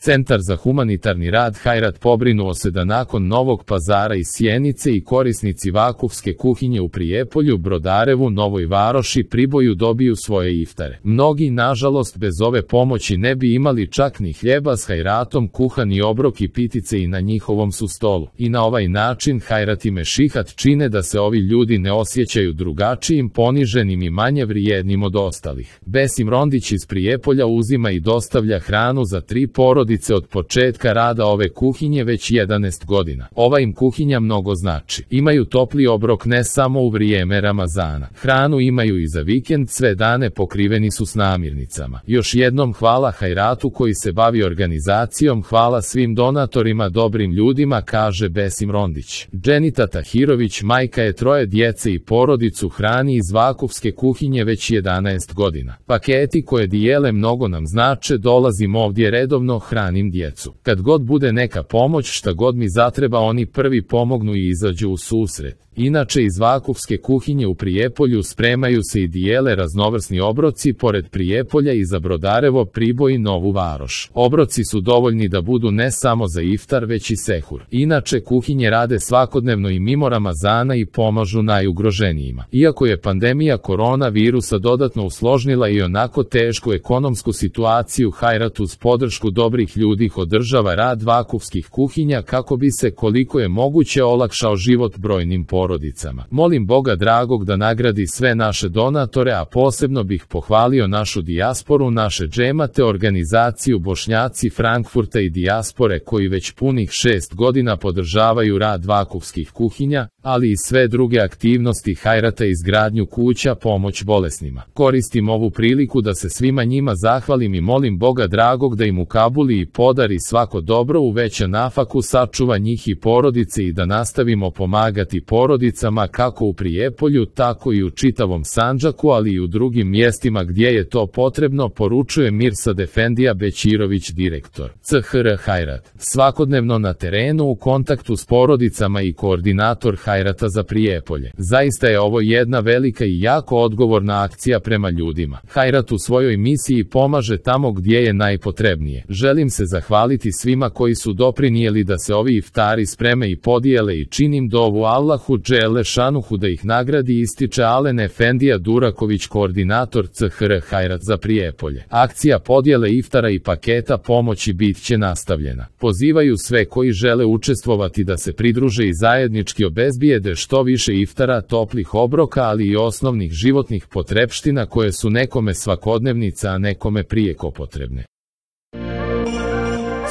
Centar za humanitarni rad Hajrat pobrinuo se da nakon Novog Pazara i Sjenice i korisnici vakufske kuhinje u Prijepolju, Brodarevu, Novoj Varoši, Priboju dobiju svoje iftare. Mnogi, nažalost, bez ove pomoći ne bi imali čak ni hljeba s Hajratom, kuhani obrok i pitice i na njihovom su stolu. I na ovaj način Hajrat i Mešihat čine da se ovi ljudi ne osjećaju drugačijim, poniženim i manje vrijednim od ostalih. Besim Rondić iz Prijepolja uzima i dostavlja hranu za 3 porodice od početka rada ove kuhinje već 11 godina. Ova im kuhinja mnogo znači. Imaju topli obrok ne samo u vrijeme Ramazana. Hranu imaju i za vikend, sve dane pokriveni su s namirnicama. Još jednom hvala Hajratu koji se bavi organizacijom, hvala svim donatorima, dobrim ljudima, kaže Besim Rondić. Dženita Tahirović, majka je 3 djece i porodicu hrani iz vakufske kuhinje već 11 godina. Paketi koje dijele mnogo nam znače, dolazim ovdje redovno, hranim djecu. Kad god bude neka pomoć, šta god mi zatreba, oni prvi pomognu i izađu u susret. Inače, iz vakufske kuhinje u Prijepolju spremaju se i dijele raznovrsni obroci pored Prijepolja i za Brodarevo, Priboj i Novu Varoš. Obroci su dovoljni da budu ne samo za iftar, već i sehur. Inače, kuhinje rade svakodnevno i mimo Ramazana i pomažu najugroženijima. Iako je pandemija koronavirusa dodatno usložnila i onako tešku ekonomsku situaciju, Hajrat uz podršku dobrih ljudi održava rad vakufskih kuhinja kako bi se koliko je moguće olakšao život brojnim porodicama. Molim Boga dragog da nagradi sve naše donatore, a posebno bih pohvalio našu dijasporu, naše džemate, organizaciju Bošnjaci Frankfurta i dijaspore koji već punih 6 godina podržavaju rad vakufskih kuhinja, ali i sve druge aktivnosti Hajrata, izgradnju kuća, pomoć bolesnima. Koristim ovu priliku da se svima njima zahvalim i molim Boga dragog da im ukabuli i podari svako dobro, uveća nafaku, sačuva njih i porodice i da nastavimo pomagati porodicama kako u Prijepolju, tako i u čitavom Sandžaku, ali i u drugim mjestima gdje je to potrebno, poručuje Mirsad Efendija Bećirović, direktor CHR Hajrat. Svakodnevno na terenu, u kontaktu s porodicama i koordinator Hajrata za Prijepolje. Zaista je ovo jedna velika i jako odgovorna akcija prema ljudima. Hajrat u svojoj misiji pomaže tamo gdje je najpotrebnije. Želim se zahvaliti svima koji su doprinijeli da se ovi iftari spreme i podijele i činim dovu Allahu dželle šanuhu da ih nagradi, ističe Alen Efendija Duraković, koordinator CHR Hajrat za Prijepolje. Akcija podjele iftara i paketa pomoći bit će nastavljena. Pozivaju sve koji žele učestvovati da se pridruže i zajednički obezbijede što više iftara, toplih obroka, ali i osnovnih životnih potrepština koje su nekome svakodnevnica, a nekome prijeko potrebne.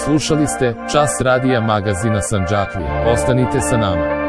Slušali ste Čas radija magazina Sandžaklija. Ostanite sa nama.